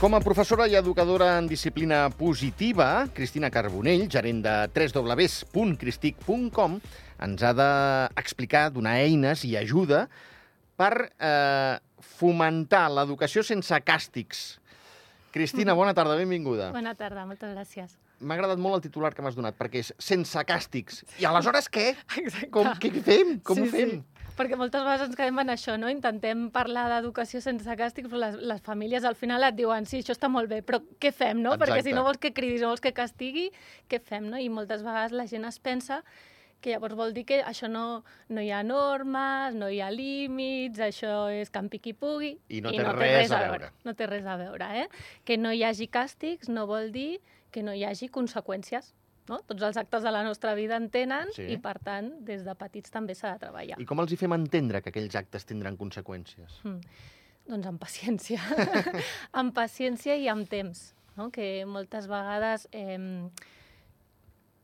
Com a professora i educadora en disciplina positiva, Cristina Carbonell, gerent de www.cristic.com, ens ha d'explicar, donar eines i ajuda per fomentar l'educació sense càstigs. Cristina, bona tarda, benvinguda. Bona tarda, moltes gràcies. M'ha agradat molt el titular que m'has donat, perquè és sense càstigs. I aleshores què? Exacte. Què fem? Com ho fem? Sí. Perquè moltes vegades ens quedem en això, no? Intentem parlar d'educació sense càstigs, però les famílies al final et diuen sí, això està molt bé, però què fem, no? Exacte. Perquè si no vols que cridis, no vols que castigui, què fem, no? I moltes vegades la gent es pensa que llavors vol dir que això no hi ha normes, no hi ha límits, això és campi qui pugui. I no té res a veure. No té res a veure, eh? Que no hi hagi càstigs no vol dir que no hi hagi conseqüències. No? Tots els actes de la nostra vida en tenen i, per tant, des de petits també s'ha de treballar. I com els hi fem entendre que aquells actes tindran conseqüències? Doncs amb paciència. Amb paciència i amb temps. No? Que moltes vegades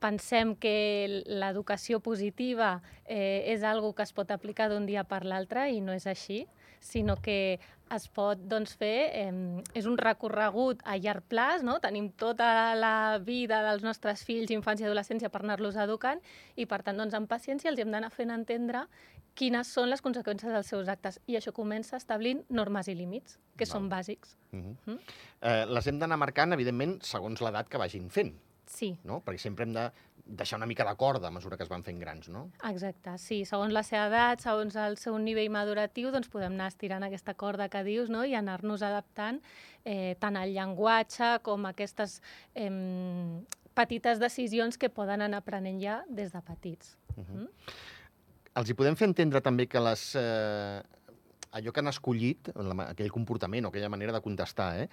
pensem que l'educació positiva és algo que es pot aplicar d'un dia per l'altre i no és així, sinó que es pot fer, és un recorregut a llarg plaç, no? Tenim tota la vida dels nostres fills, infants i adolescència per anar-los educant i, per tant, amb paciència els hem d'anar fent entendre quines són les conseqüències dels seus actes. I això comença establint normes i límits, que són bàsics. Les hem d'anar marcant, evidentment, segons l'edat que vagin fent. Sí. No? Perquè sempre hem de deixar una mica de corda a mesura que es van fent grans, no? Exacte, sí. Segons la seva edat, segons el seu nivell maduratiu, doncs podem anar estirant aquesta corda que dius, no? I anar-nos adaptant tant al llenguatge com a aquestes petites decisions que poden anar aprenent ja des de petits. Els hi podem fer entendre també que allò que han escollit, aquell comportament o aquella manera de contestar,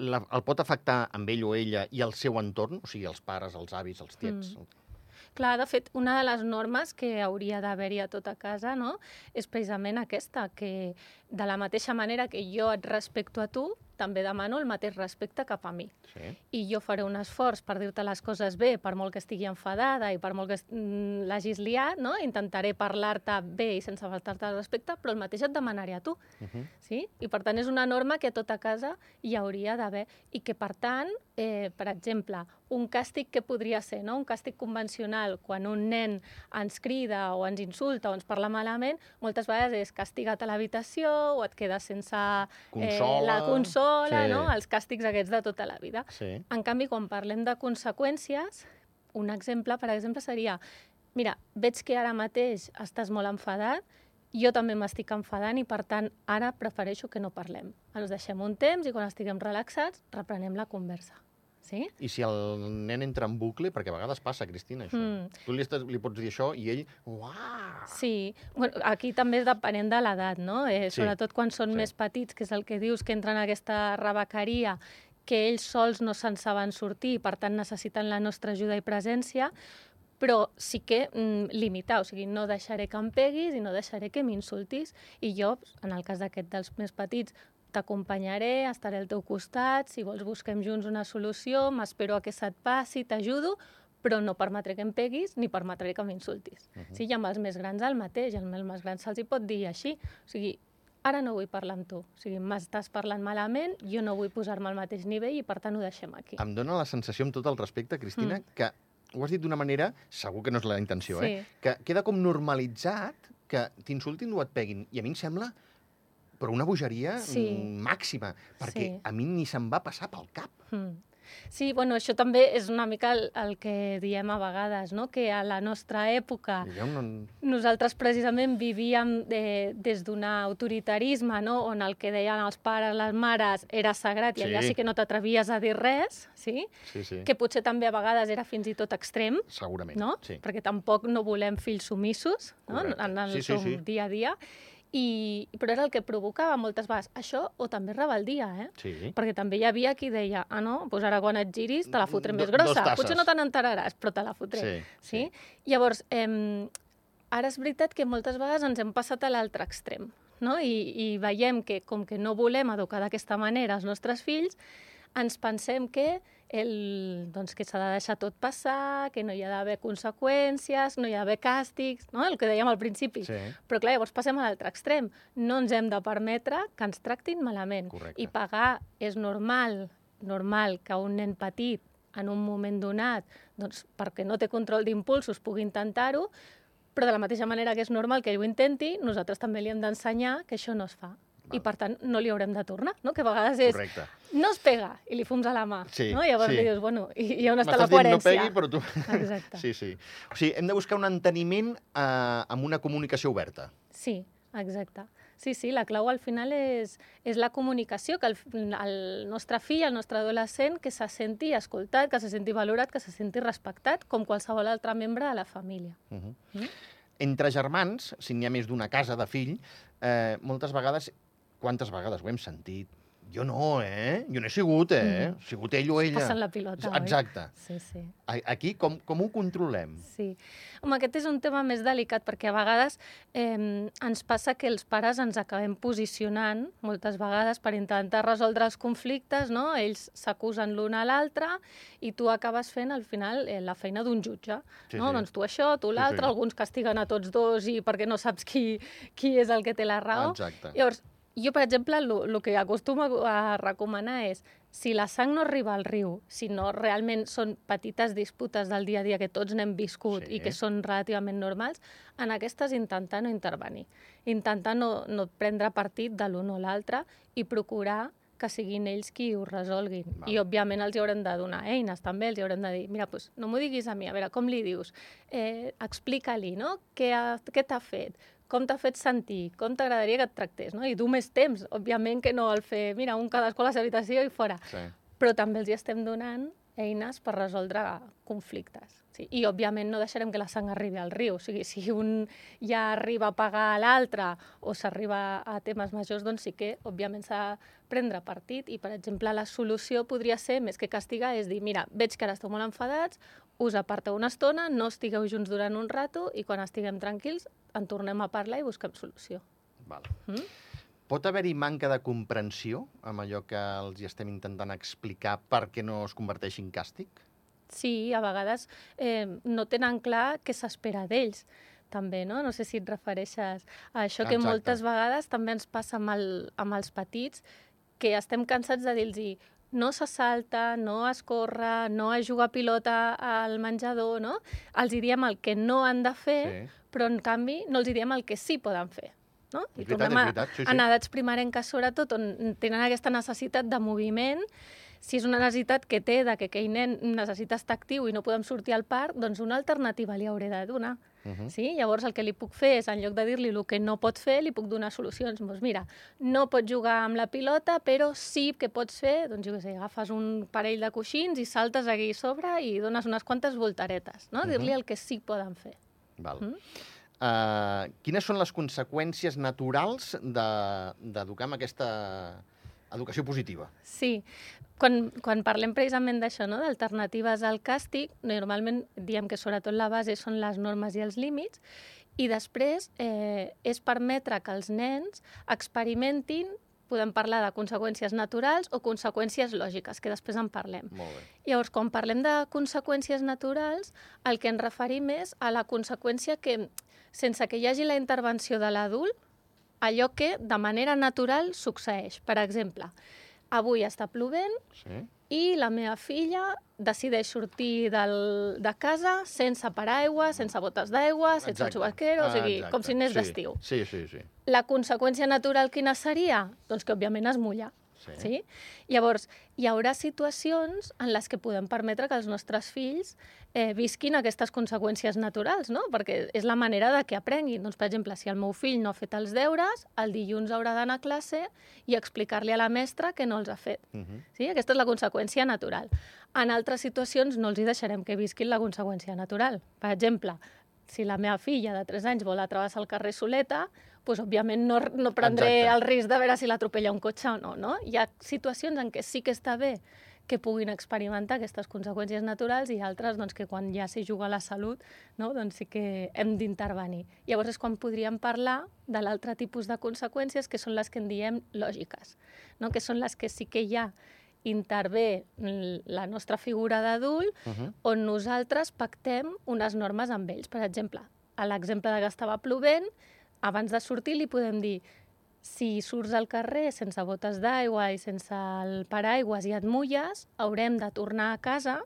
el pot afectar amb ell o ella i el seu entorn, o sigui, els pares, els avis, els tiets. Clar, de fet, una de les normes que hauria d'haver-hi a tota casa, no?, és precisament aquesta, que de la mateixa manera que jo et respecto a tu, també demano el mateix respecte cap a mi. Sí. I jo faré un esforç per dir-te les coses bé, per molt que estigui enfadada i per molt que l'hagis liat, no? Intentaré parlar-te bé i sense faltar-te el respecte, però el mateix et demanaré a tu. Sí? I per tant és una norma que a tota casa hi hauria d'haver i que per tant, per exemple, un càstig que podria ser, no? Un càstig convencional, quan un nen ens crida o ens insulta o ens parla malament, moltes vegades és castigat a l'habitació o et quedes sense la consola, no? Els càstigs aquests de tota la vida. Sí. En canvi, quan parlem de conseqüències, un exemple, per exemple, seria mira, veig que ara mateix estàs molt enfadat, jo també m'estic enfadant i, per tant, ara prefereixo que no parlem. Ens deixem un temps i quan estiguem relaxats reprenem la conversa. Sí? I si el nen entra en bucle, perquè a vegades passa, Cristina, això. Tu li pots dir això i ell... Uah! Sí. Bueno, aquí també és depenent de l'edat, no? Sobretot quan són més petits, que és el que dius, que entren en aquesta rebequeria, que ells sols no se'n saben sortir i, per tant, necessiten la nostra ajuda i presència, però sí que limitar, o sigui, no deixaré que em peguis i no deixaré que m'insultis. I jo, en el cas d'aquest dels més petits, t'acompanyaré, estaré al teu costat, si vols busquem junts una solució, m'espero a que se't passi, t'ajudo, però no permetré que em peguis ni permetré que m'insultis. Sí, i amb els més grans el mateix, als més grans se'ls hi pot dir així, o sigui, ara no vull parlar amb tu, o sigui, m'estàs parlant malament, jo no vull posar-me al mateix nivell i per tant ho deixem aquí. Em dóna la sensació, amb tot el respecte, Cristina, que ho has dit d'una manera, segur que no és la intenció, que queda com normalitzat que t'insultin o et peguin, i a mi em sembla però una bogeria màxima, perquè a mi ni se'm va passar pel cap. Sí, bueno, això també és una mica el que diem a vegades, no? Que a la nostra època nosaltres precisament vivíem des d'un autoritarisme, no? On el que deien els pares, les mares, era sagrat i allà sí que no t'atrevies a dir res, sí? Que potser també a vegades era fins i tot extrem, segurament, no? Perquè tampoc no volem fills sumissos, no? En el seu dia a dia. Però era el que provocava moltes vegades això o també rebeldia, perquè també hi havia qui deia doncs ara quan et giris te la fotré més grossa, potser no te n'enteraràs però te la fotré. Llavors, ara és veritat que moltes vegades ens hem passat a l'altre extrem, i veiem que com que no volem educar d'aquesta manera els nostres fills, ens pensem que s'ha de deixar tot passar, que no hi ha d'haver conseqüències, no hi ha d'haver càstigs, no? El que dèiem al principi. Sí. Però clar, llavors passem a l'altre extrem. No ens hem de permetre que ens tractin malament. Correcte. I pagar és normal que un nen petit en un moment donat, doncs, perquè no té control d'impulsos, pugui intentar-ho, però de la mateixa manera que és normal que ell ho intenti, nosaltres també li hem d'ensenyar que això no es fa. I, per tant, no li haurem de tornar, no? Que a vegades és... Correcte. No es pega, i li fums a la mà. Sí, no? I llavors sí. li dius, bueno, i on està la coherència? M'estàs dient no pegui, però tu... Exacte. Sí, sí. O sigui, hem de buscar un enteniment amb una comunicació oberta. Sí, exacte. Sí, la clau al final és la comunicació, que el nostre fill, el nostre adolescent, que se senti escoltat, que se senti valorat, que se senti respectat, com qualsevol altre membre de la família. Entre germans, si n'hi ha més d'una casa de fill, moltes vegades, quantes vegades ho hem sentit? Jo no, Jo no he sigut, Ha sigut ell o ella. Passen la pilota, Exacte. oi? Sí. Aquí com ho controlem? Sí. Home, aquest és un tema més delicat, perquè a vegades ens passa que els pares ens acabem posicionant, moltes vegades, per intentar resoldre els conflictes, no? Ells s'acusen l'un a l'altre i tu acabes fent, al final, la feina d'un jutge. Sí, no? sí. Doncs tu això, tu l'altre, alguns castiguen a tots dos i perquè no saps qui és el que té la raó. Exacte. Llavors, jo, per exemple, el que acostumo a recomanar és, si la sang no arriba al riu, si no realment són petites disputes del dia a dia que tots n'hem viscut i que són relativament normals, en aquestes intentar no intervenir. Intentar no prendre partit de l'un o l'altre i procurar que siguin ells qui ho resolguin. I, òbviament, els hi haurem de donar eines, també. Els hi haurem de dir, mira, doncs, no m'ho diguis a mi, a veure, com li dius? Explica-li, no? Què t'ha fet? Com t'ha fet sentir? Com t'agradaria que et tractés? No? I dur més temps, òbviament, que no el fer, mira, un cadascú a la seva habitació i fora. Sí. Però també els hi estem donant eines per resoldre conflictes. Sí? I, òbviament, no deixarem que la sang arribi al riu. O sigui, si un ja arriba a pagar a l'altre o s'arriba a temes majors, doncs sí que, òbviament, s'ha de prendre partit. I, per exemple, la solució podria ser, més que castigar, és dir, mira, veig que ara esteu molt enfadats, us aparteu una estona, no estigueu junts durant un rato i quan estiguem tranquils en tornem a parlar i busquem solució. Val. Pot haver-hi manca de comprensió amb allò que els hi estem intentant explicar perquè no es converteixi en càstig? Sí, a vegades no tenen clar què s'espera d'ells, també, no? No sé si et refereixes a això, que moltes vegades també ens passa amb els petits, que estem cansats de dir-los no se salta, no es corre, no es juga a pilota al menjador, no? Els hi diem el que no han de fer, però en canvi no els hi diem el que sí poden fer. No? I tornem a edats primerenques, sobretot, on tenen aquesta necessitat de moviment. Si és una necessitat que té de que aquell nen necessita estar actiu i no podem sortir al parc, doncs una alternativa li hauré de donar. Sí? Llavors el que li puc fer és, en lloc de dir-li el que no pot fer, li puc donar solucions. Doncs mira, no pots jugar amb la pilota, però sí que pots fer, doncs jo què sé, agafes un parell de coixins i saltes aquí a sobre i dones unes quantes voltaretes, no? Dir-li el que sí poden fer. Val. Quines són les conseqüències naturals d'educar amb aquesta educació positiva? Sí. Quan parlem precisament d'això, no? D'alternatives al càstig, normalment diem que sobretot la base són les normes i els límits, i després és permetre que els nens experimentin, podem parlar de conseqüències naturals o conseqüències lògiques, que després en parlem. Molt bé. Llavors, quan parlem de conseqüències naturals, el que ens referim és a la conseqüència que, sense que hi hagi la intervenció de l'adult, allò que de manera natural succeeix. Per exemple, avui està plovent i la meva filla decideix sortir de casa sense paraigua, sense botes d'aigua, sense un xubasquero, o sigui, com si anés d'estiu. Sí. La conseqüència natural quina seria? Doncs que, òbviament, es mulla. Sí? Llavors, hi haurà situacions en les que podem permetre que els nostres fills visquin aquestes conseqüències naturals, no? Perquè és la manera de que aprenguin. Doncs, per exemple, si el meu fill no ha fet els deures, el dilluns haurà d'anar a classe i explicar-li a la mestra que no els ha fet. Sí? Aquesta és la conseqüència natural. En altres situacions no els hi deixarem que visquin la conseqüència natural. Per exemple, si la meva filla de 3 anys vol travessar el carrer soleta, doncs, òbviament, no prendré el risc de veure si l'atropella un cotxe o no, no? Hi ha situacions en què sí que està bé que puguin experimentar aquestes conseqüències naturals i altres doncs, que quan ja s'hi juga la salut, no? Doncs sí que hem d'intervenir. Llavors és quan podríem parlar de l'altre tipus de conseqüències, que són les que en diem lògiques, no? Que són les que sí que hi ha intervé la nostra figura d'adult, on nosaltres pactem unes normes amb ells. Per exemple, a l'exemple de que estava plovent, abans de sortir li podem dir si surts al carrer sense botes d'aigua i sense el paraigües i et mulles, haurem de tornar a casa,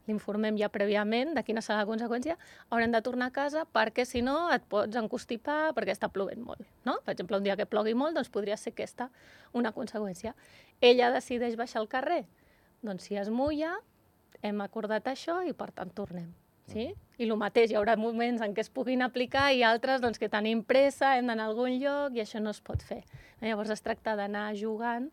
l'informem ja prèviament de quina serà la conseqüència, haurem de tornar a casa perquè si no et pots encostipar perquè està plovent molt. No? Per exemple, un dia que plogui molt, doncs podria ser aquesta una conseqüència. Ella decideix baixar al carrer. Doncs si es mulla, hem acordat això i per tant tornem. Sí? I el mateix, hi haurà moments en què es puguin aplicar i altres doncs, que tenim pressa, hem d'anar a algun lloc i això no es pot fer. Llavors es tracta d'anar jugant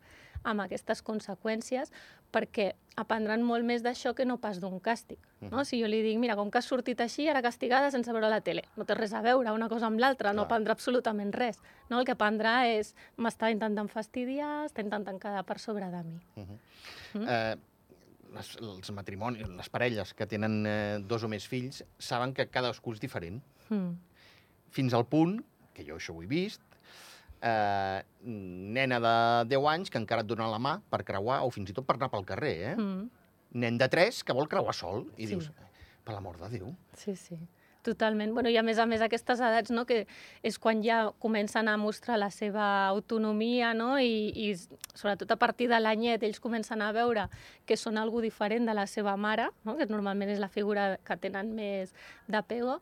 amb aquestes conseqüències perquè aprendran molt més d'això que no pas d'un càstig. No? Si jo li dic, mira, com que has sortit així, ara castigada sense veure la tele. No té res a veure una cosa amb l'altra, no aprendrà absolutament res. No? El que aprendrà és, m'està intentant fastidiar, està intentant quedar per sobre de mi. Els matrimonis, les parelles que tenen 2 o més fills, saben que cadascú és diferent. Fins al punt, que jo això ho he vist, nena de 10 anys que encara et dona la mà per creuar, o fins i tot per anar pel carrer, Nen de 3 que vol creuar sol. I dius, per l'amor de Déu. Sí, sí. Totalment. Bueno, i a més aquestes edats, no, que és quan ja comencen a mostrar la seva autonomia, no? I sobretot a partir de l'anyet ells comencen a veure que són algú diferent de la seva mare, no? Que normalment és la figura que tenen més d'apego,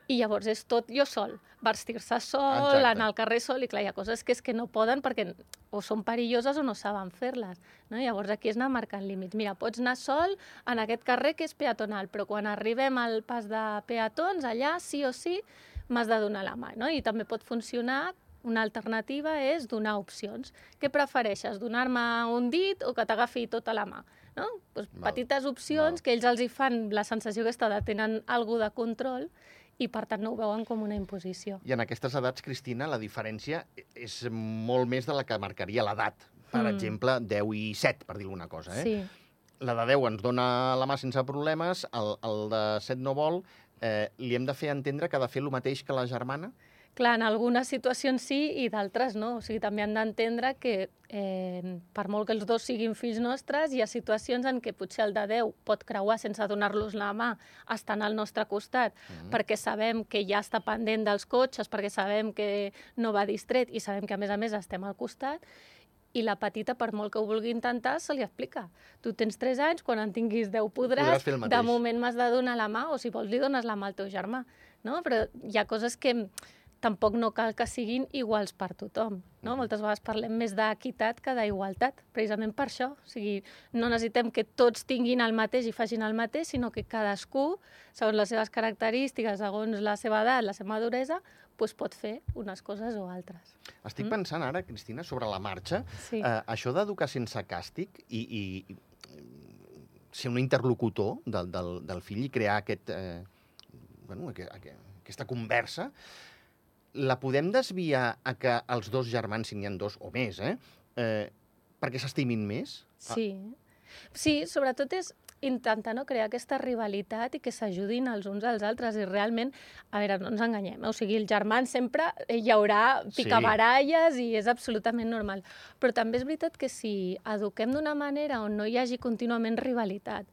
i llavors és tot jo sol, vestir-se sol, anar al carrer sol, i clar, hi ha coses que és que no poden perquè o són perilloses o no saben fer-les. No? Llavors aquí és anar marcant límits. Mira, pots anar sol en aquest carrer que és peatonal, però quan arribem al pas de peatons, allà sí o sí m'has de donar la mà. No? I també pot funcionar, una alternativa és donar opcions. Què prefereixes, donar-me un dit o que t'agafi tota la mà? No? Pues petites opcions que ells els hi fan la sensació aquesta de tenen algú de control i per tant no ho veuen com una imposició. I en aquestes edats, Cristina, la diferència és molt més de la que marcaria l'edat. Per exemple, 10 i 7, per dir alguna cosa. Sí. La de 10 ens dona la mà sense problemes, el de 7 no vol. Li hem de fer entendre que ha de fer el mateix que la germana? Clar, en algunes situacions sí i d'altres no. O sigui, també han d'entendre que per molt que els dos siguin fills nostres, hi ha situacions en què potser el de 10 pot creuar sense donar-los la mà, estant al nostre costat, perquè sabem que ja està pendent dels cotxes, perquè sabem que no va distret i sabem que, a més, estem al costat, i la petita, per molt que ho vulgui intentar, se li explica. Tu tens 3 anys, quan en tinguis 10 podràs de moment m'has de donar la mà, o si vols li dones la mà al teu germà. No? Però hi ha coses que tampoc no cal que siguin iguals per tothom. No? Moltes vegades parlem més d'equitat que d'igualtat, precisament per això. O sigui, no necessitem que tots tinguin el mateix i facin el mateix, sinó que cadascú, segons les seves característiques, segons la seva edat, la seva maduresa, doncs pot fer unes coses o altres. Estic pensant ara, Cristina, sobre la marxa, això d'educar sense càstig i ser un interlocutor del fill i crear aquesta conversa, la podem desviar a que els dos germans, si n'hi ha 2 o més, perquè s'estimin més? Sí. Sí, sobretot és intentar no crear aquesta rivalitat i que s'ajudin els uns als altres. I realment, a veure, no ens enganyem, o sigui, els germans sempre hi haurà picabaralles i és absolutament normal. Però també és veritat que si eduquem d'una manera on no hi hagi contínuament rivalitat,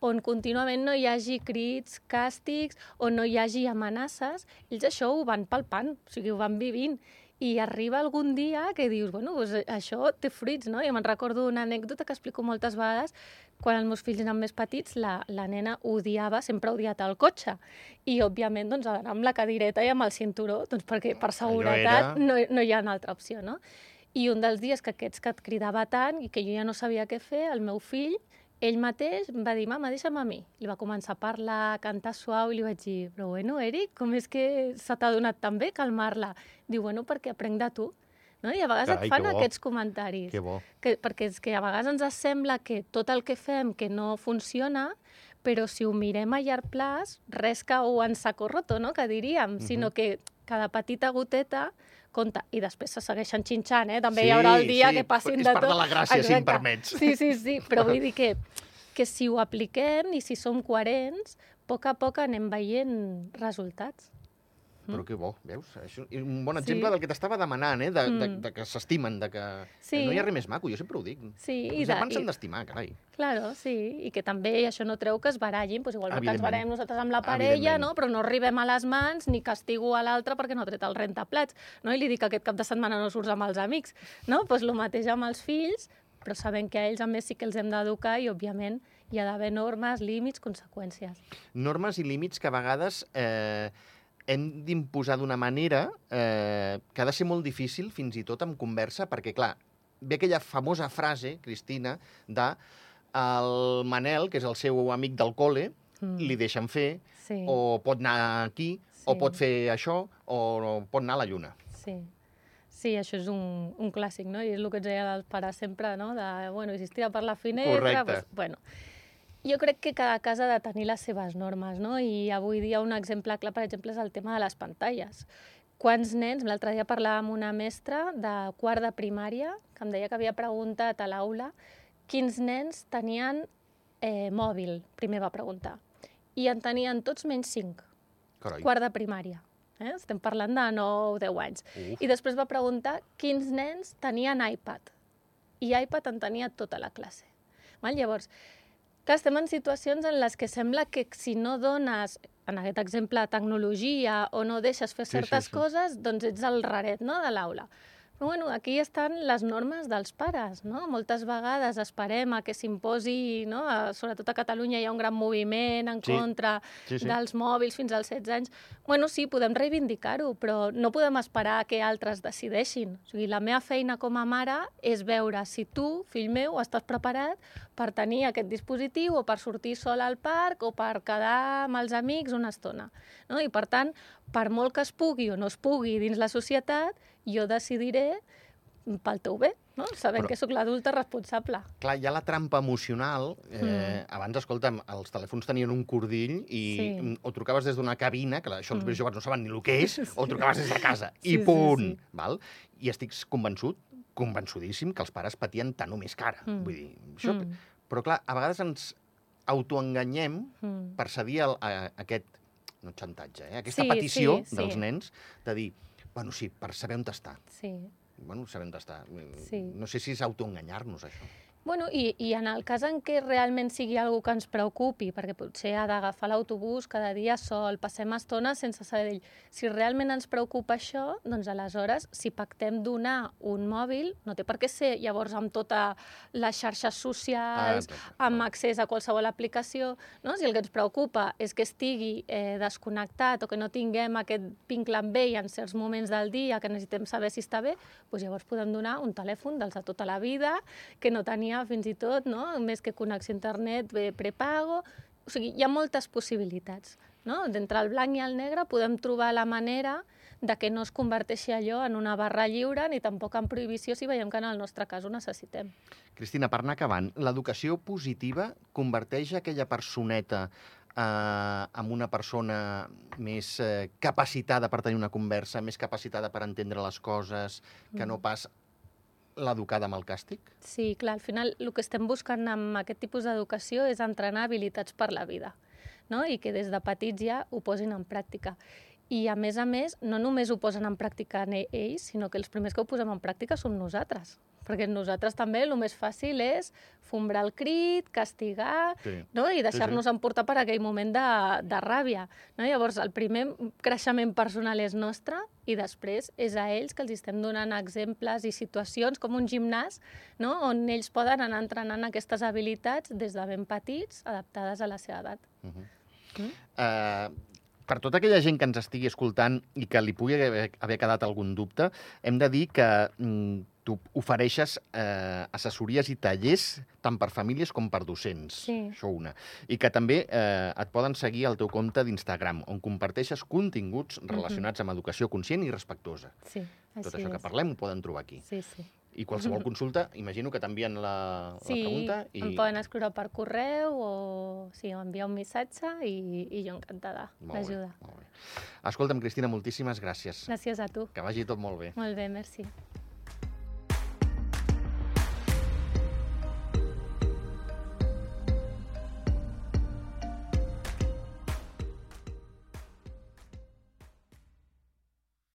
on contínuament no hi hagi crits, càstigs, on no hi hagi amenaces, ells això ho van palpant, o sigui, ho van vivint. I arriba algun dia que dius, bueno, doncs això té fruits, no? Jo me'n recordo una anècdota que explico moltes vegades. Quan els meus fills eren més petits, la nena odiava, sempre ha odiat el cotxe. I, òbviament, doncs, ha d'anar amb la cadireta i amb el cinturó, doncs, perquè per seguretat no hi ha una altra opció, no? I un dels dies que aquests que et cridava tant i que jo ja no sabia què fer, el meu fill, ell mateix va dir, mama, deixa'm a mi. Li va començar a parlar, a cantar suau, i li vaig dir, però bueno, Eric, com és que se t'ha donat tan bé calmar-la? Diu, bueno, perquè aprenc de tu. No? I a vegades et fan aquests comentaris. Que bo. Perquè és que a vegades ens sembla que tot el que fem que no funciona, però si ho mirem a llarg plaç, res cau en saco roto, no? Que diríem, sinó que cada petita goteta compta. I després se segueixen xinxant, També hi haurà el dia que passin de tot. És part de la gràcia, si em permets. Sí, però vull dir que si ho apliquem i si som coherents, a poc anem veient resultats. Però que bo, veus? Això és un bon exemple del que t'estava demanant, de que s'estimen, de que no hi ha res més maco, jo sempre ho dic. Els germans s'han d'estimar, carai. Claro, sí, i que també això no treu que es barallin, igual que ens barallem nosaltres amb la parella, però no arribem a les mans ni castigo a l'altre perquè no ha tret el rentaplats, i li dic que aquest cap de setmana no surts amb els amics. El mateix amb els fills, però sabem que a ells a més sí que els hem d'educar i, òbviament, hi ha d'haver normes, límits, conseqüències. Normes i límits que a vegades hem d'imposar d'una manera que ha de ser molt difícil, fins i tot en conversa, perquè, clar, ve aquella famosa frase, Cristina, de el Manel, que és el seu amic del col·le, li deixen fer, o pot anar aquí, o pot fer això, o pot anar a la lluna. Sí, això és un clàssic, no? I és el que ens deia els pares sempre, no? I si es tira per la finestra... Correcte. Jo crec que cada casa ha de tenir les seves normes, no? I avui dia un exemple clar, per exemple, és el tema de les pantalles. Quants nens... L'altre dia parlava amb una mestra de quart de primària que em deia que havia preguntat a l'aula quins nens tenien mòbil, primer va preguntar. I en tenien tots menys 5. Carai. Quart de primària. Estem parlant de 9 o 10 anys. I després va preguntar quins nens tenien iPad. I iPad en tenia tota la classe. Llavors, clar, estem en situacions en les que sembla que si no dones, en aquest exemple, tecnologia o no deixes fer certes coses, doncs ets el raret, no?, de l'aula. Però aquí estan les normes dels pares, no? Moltes vegades esperem a que s'imposi, no? Sobretot a Catalunya hi ha un gran moviment en contra dels mòbils fins als 16 anys. Sí, podem reivindicar-ho, però no podem esperar que altres decideixin. O sigui, la meva feina com a mare és veure si tu, fill meu, estàs preparat per tenir aquest dispositiu o per sortir sol al parc o per quedar amb els amics una estona. I, per tant, per molt que es pugui o no es pugui dins la societat, jo decidiré pel teu bé, sabent que sóc l'adulta responsable. Clar, hi ha la trampa emocional. Abans, escolta'm, els telèfons tenien un cordill i o trucaves des d'una cabina, que això els més joves no saben ni el que és, o trucaves des de casa, i punt. I estic convençudíssim que els pares patien tant o més cara. Vull dir, això... Però, clar, a vegades ens autoenganyem per cedir a aquest, no xantatge, aquesta petició dels nens de dir, sí, per saber on està. Saber on està. No sé si és autoenganyar-nos, això. I en el cas en què realment sigui algú que ens preocupi, perquè potser ha d'agafar l'autobús cada dia sol, passem estones sense saber d'ell. Si realment ens preocupa això, doncs aleshores, si pactem donar un mòbil, no té per què ser llavors amb totes les xarxes socials, amb accés a qualsevol aplicació. Si el que ens preocupa és que estigui desconnectat o que no tinguem aquest vincle amb ell en certs moments del dia, que necessitem saber si està bé, doncs llavors podem donar un telèfon dels de tota la vida, que no tenia fins i tot, més que connexió a internet, prepago... O sigui, hi ha moltes possibilitats. D'entre el blanc i el negre podem trobar la manera de que no es converteixi allò en una barra lliure ni tampoc en prohibició si veiem que en el nostre cas ho necessitem. Cristina, per anar acabant, l'educació positiva converteix aquella personeta amb una persona més capacitada per tenir una conversa, més capacitada per entendre les coses, que no pas l'educada amb el càstig? Sí, clar, al final el que estem buscant amb aquest tipus d'educació és entrenar habilitats per la vida, i que des de petits ja ho posin en pràctica. I, a més, no només ho posen en pràctica ells, sinó que els primers que ho posem en pràctica som nosaltres. Perquè nosaltres també el més fàcil és fombrar el crit, castigar, i deixar-nos emportar per aquell moment de ràbia. Llavors, el primer creixement personal és nostre i després és a ells que els estem donant exemples i situacions com un gimnàs, on ells poden anar entrenant aquestes habilitats des de ben petits, adaptades a la seva edat. Per tota aquella gent que ens estigui escoltant i que li pugui haver quedat algun dubte, hem de dir que tu ofereixes assessories i tallers tant per famílies com per docents. Això una. I que també et poden seguir al teu compte d'Instagram, on comparteixes continguts relacionats amb educació conscient i respectuosa. Tot això que parlem ho poden trobar aquí. I qualsevol consulta, imagino que t'envien la pregunta. Em poden escriure per correu o enviar un missatge i jo encantada d'ajudar. Escolta'm, Cristina, moltíssimes gràcies. Gràcies a tu. Que vagi tot molt bé. Molt bé, merci.